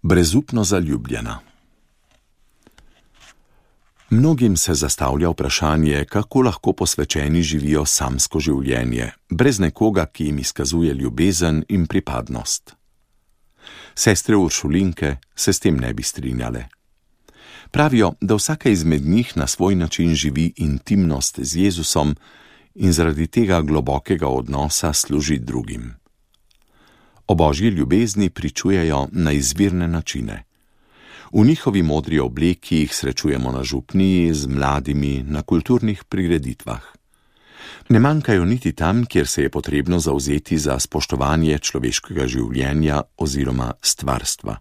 Brezupno zaljubljena. Mnogim se zastavlja vprašanje, kako lahko posvečeni živijo samsko življenje, brez nekoga, ki jim izkazuje ljubezen in pripadnost. Sestre Uršulinke se s tem ne bi strinjale. Pravijo, da vsaka izmed njih na svoj način živi intimnost z Jezusom in zaradi tega globokega odnosa služi drugim. O božji ljubezni pričujejo na izvirne načine. V njihovi modri obleki jih srečujemo na župniji, z mladimi, na kulturnih prireditvah. Ne manjkajo niti tam, kjer se je potrebno zavzeti za spoštovanje človeškega življenja oziroma stvarstva.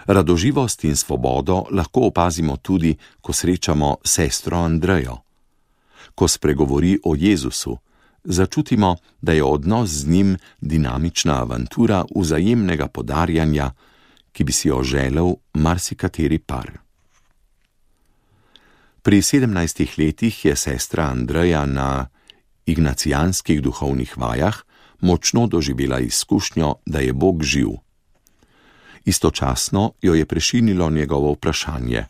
Radoživost in svobodo lahko opazimo tudi, ko srečamo sestro Andrejo. Ko spregovori o Jezusu, začutimo, da je odnos z njim dinamična avantura vzajemnega podarjanja, ki bi si jo želel marsikateri par. Pri 17 letih je sestra Andreja na ignacijanskih duhovnih vajah močno doživela izkušnjo, da je Bog živ. Istočasno jo je prešinilo njegovo vprašanje,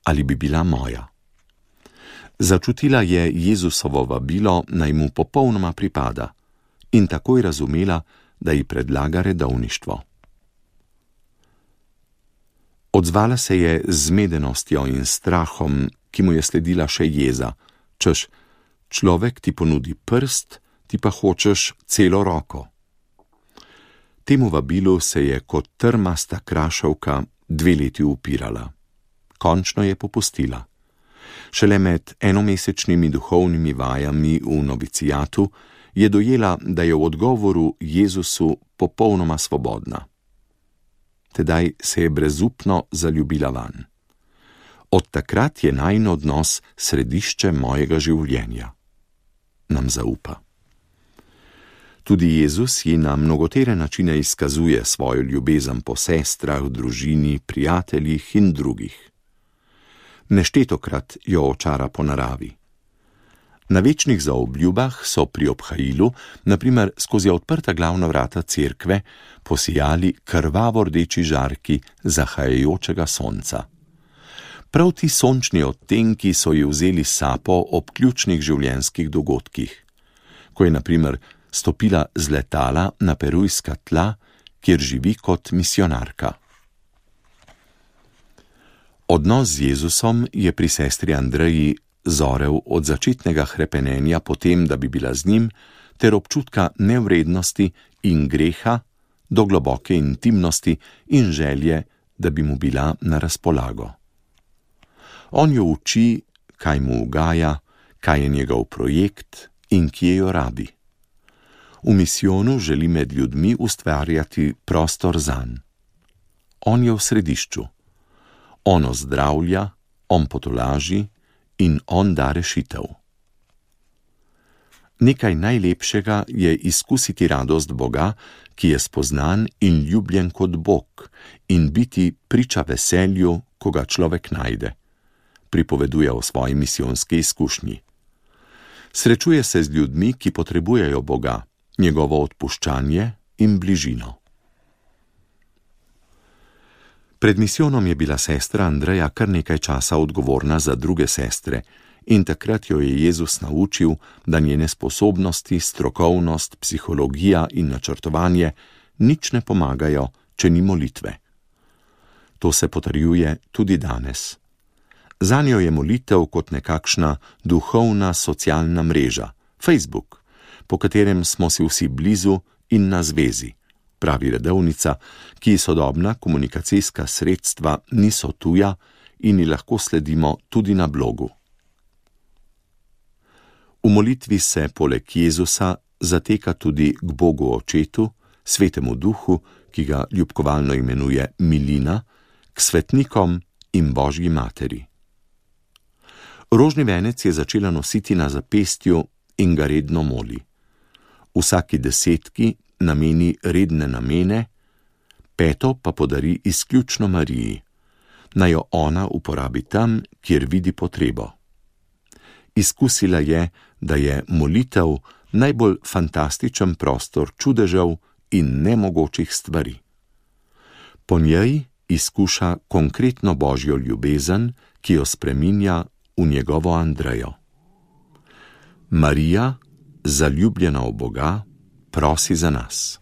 ali bi bila moja. Začutila je Jezusovo vabilo, naj mu popolnoma pripada, in takoj razumela, da ji predlaga redovništvo. Odzvala se je z zmedenostjo in strahom, ki mu je sledila še jeza, češ, človek ti ponudi prst, ti pa hočeš celo roko. Temu vabilu se je kot trmasta krašovka 2 leti upirala. Končno je popustila. Šele med enomesečnimi duhovnimi vajami v novicijatu je dojela, da je v odgovoru Jezusu popolnoma svobodna. Tedaj se je brezupno zaljubila vanj. Od takrat je najin odnos središče mojega življenja. Nam zaupa. Tudi Jezus ji na mnogotere načine izkazuje svojo ljubezen po sestrah, družini, prijateljih in drugih. Neštetokrat jo očara po naravi. Na večnih zaobljubah so pri obhajilu, na primer skozi odprta glavna vrata cerkve, posijali krvavo rdeči žarki zahajajočega sonca. Prav ti sončni odtenki so ji vzeli sapo ob ključnih življenjskih dogodkih, ko je na primer stopila z letala na perujska tla, kjer živi kot misionarka. Odnos z Jezusom je pri sestri Andreji zorel od začetnega hrepenenja po tem, da bi bila z njim, ter občutka nevrednosti in greha do globoke intimnosti in želje, da bi mu bila na razpolago. On jo uči, kaj mu ugaja, kaj je njegov projekt in kje jo rabi. V misijonu želi med ljudmi ustvarjati prostor zanj. On je v središču. On ozdravlja, on potolaži in on da rešitev. Nekaj najlepšega je izkusiti radost Boga, ki je spoznan in ljubljen kot Bog, in biti priča veselju, ko ga človek najde, pripoveduje o svoji misijonski izkušnji. Srečuje se z ljudmi, ki potrebujejo Boga, njegovo odpuščanje in bližino. Pred misijonom je bila sestra Andreja kar nekaj časa odgovorna za druge sestre in takrat jo je Jezus naučil, da njene sposobnosti, strokovnost, psihologija in načrtovanje nič ne pomagajo, če ni molitve. To se potrjuje tudi danes. Zanjo je molitev kot nekakšna duhovna socialna mreža, Facebook, po katerem smo si vsi blizu in na zvezi, pravi redovnica, ki sodobna komunikacijska sredstva niso tuja in ji lahko sledimo tudi na blogu. V molitvi se poleg Jezusa zateka tudi k Bogu Očetu, Svetemu Duhu, ki ga ljubkovalno imenuje Milina, k svetnikom in Božji materi. Rožni venec je začela nositi na zapestju in ga redno moli. Vsaki 10 nameni redne namene, 5 pa podari izključno Mariji, naj jo ona uporabi tam, kjer vidi potrebo. Izkusila je, da je molitev najbolj fantastičen prostor čudežev in nemogočih stvari. Po njej izkuša konkretno Božjo ljubezen, ki jo spreminja v njegovo Andrejo. Marija, zaljubljena v Boga, prosi za nas.